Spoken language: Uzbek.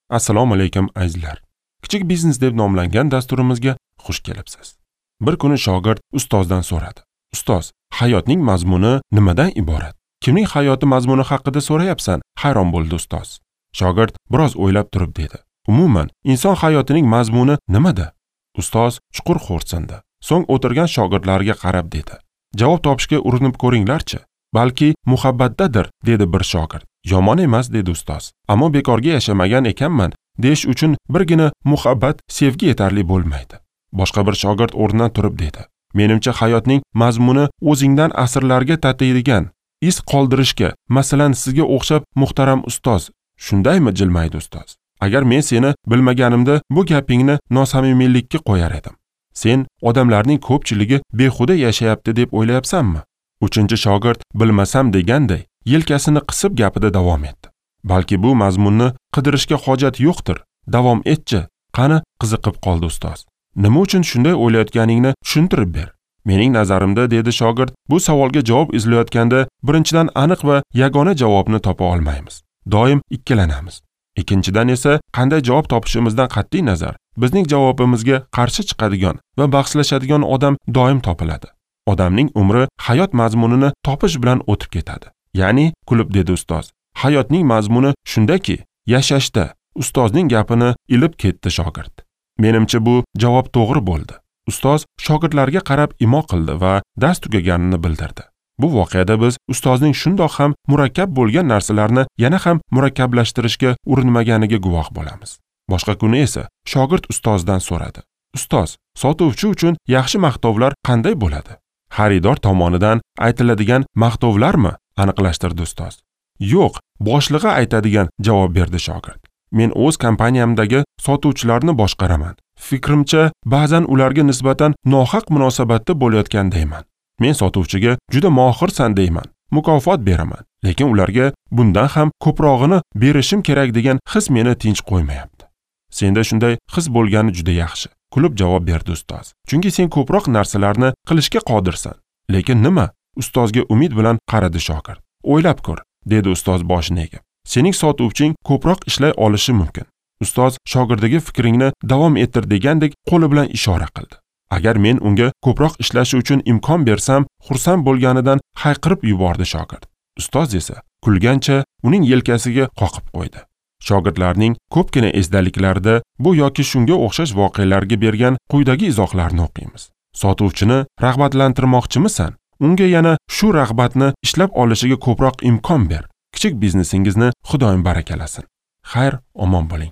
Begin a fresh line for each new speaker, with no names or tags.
Assalomu alaykum azizlar. Kichik biznes deb nomlangan dasturimizga xush kelibsiz. Bir kuni shogird ustozdan so'radi. Ustoz, hayotning mazmuni nimadan iborat? Kimning hayoti mazmuni haqida so'rayapsan? Hayron bo'ldi ustoz. Shogird biroz o'ylab turib dedi. Umuman, inson hayotining mazmuni nimada? Ustoz chuqur xo'rsindi. So'ng o'tirgan shogirdlarga qarab dedi. Javob topishga urinib ko'ringlarchi. Balki muhabbatdadir, dedi bir shogird. Yomon emas, dedi ustoz. Ammo bekorga yashamagan ekanman deyish uchun birgina muhabbat, sevgi yetarli bo'lmaydi. Boshqa bir shogird o'rnidan turib dedi. Menimcha hayotning mazmuni o'zingdan asrlarga tatiydigan iz qoldirishga, masalan, sizga o'xshab muhtaram ustoz. Shundaymi, jilmaydi ustoz. Agar men seni bilmaganimda bu gapingni nosamimiylikka qo'yar edim. Sen odamlarning ko'pchiligi behuda yashayapti deb o'ylayapsanmi? Uchinchi shogird bilmasam deganday yelkasini qisib gapida davom etdi. Balki bu mazmunni qidirishga hojat yo'qdir. Davom etchi. Qani, qiziqib qoldi ustoz. Nima uchun shunday o'ylayotganingni tushuntirib ber. Mening nazarimda, dedi shogird, bu savolga javob izlayotganda birinchidan aniq va yagona javobni topa olmaymiz. Doim ikkilanamiz. Ikkinchidan esa qanday javob topishimizdan qat'iy nazar, bizning javobimizga qarshi chiqadigan va bahslashadigan odam doim topiladi. Odamning umri hayot mazmunini topish bilan o'tib ketadi. Ya'ni, kulib dedi ustoz, hayotning mazmuni shundaki, yashashda. Ustozning gapini ilib ketdi shogird. Menimcha bu javob to'g'ri bo'ldi. Ustoz shogirdlarga qarab imo qildi va dars tugaganini bildirdi. Bu voqeada biz ustozning shundoq ham murakkab bo'lgan narsalarni yana ham murakkablashtirishga urinmaganiga guvoh bo'lamiz. Boshqa kuni esa shogird ustozdan so'radi. Ustoz, sotuvchi uchun yaxshi maqtovlar qanday bo'ladi? Xaridor tomonidan aytiladigan maqtovlarmi? Aniqlashtirdi ustoz. Yo'q, boshlig'i aytadigan, javob berdi shogird. Men o'z kompaniyamdagi sotuvchilarni boshqaraman. Fikrimcha, ba'zan ularga nisbatan nohaq munosabatda bo'layotgandayman. Men sotuvchiga juda mohirsan deyman, mukofot beraman, lekin ularga bundan ham ko'prog'ini berishim kerak degan his meni tinch qo'ymayapti. Senda shunday his bo'lgani juda yaxshi, kulib javob berdi ustoz. Chunki sen ko'proq narsalarni qilishga qodirsan. Lekin nima? Ustozga umid bilan qaradi shogird. O'ylab ko'r, dedi ustoz boshini egib. Sening sotuvching ko'proq ishlay olishi mumkin. Ustoz shogirdiga fikringni davom ettir degandek qo'li bilan ishora qildi. Agar men unga ko'proq ishlashi uchun imkon bersam, xursand bo'lganidan hayqirib yubordi shogird. Ustoz esa kulgancha uning yelkasiga qoqib qo'ydi. Shogirdlarning ko'pgina esdaliklarida bu yoki shunga o'xshash voqealarga bergan quyidagi izohlarni o'qiymiz. Sotuvchini rag'batlantirmoqchimisan? Unga yana shu rag'batni ishlab olishiga ko'proq imkon ber. Kichik biznesingizni Xudoyim barakalasin. Xayr, omon bo'ling.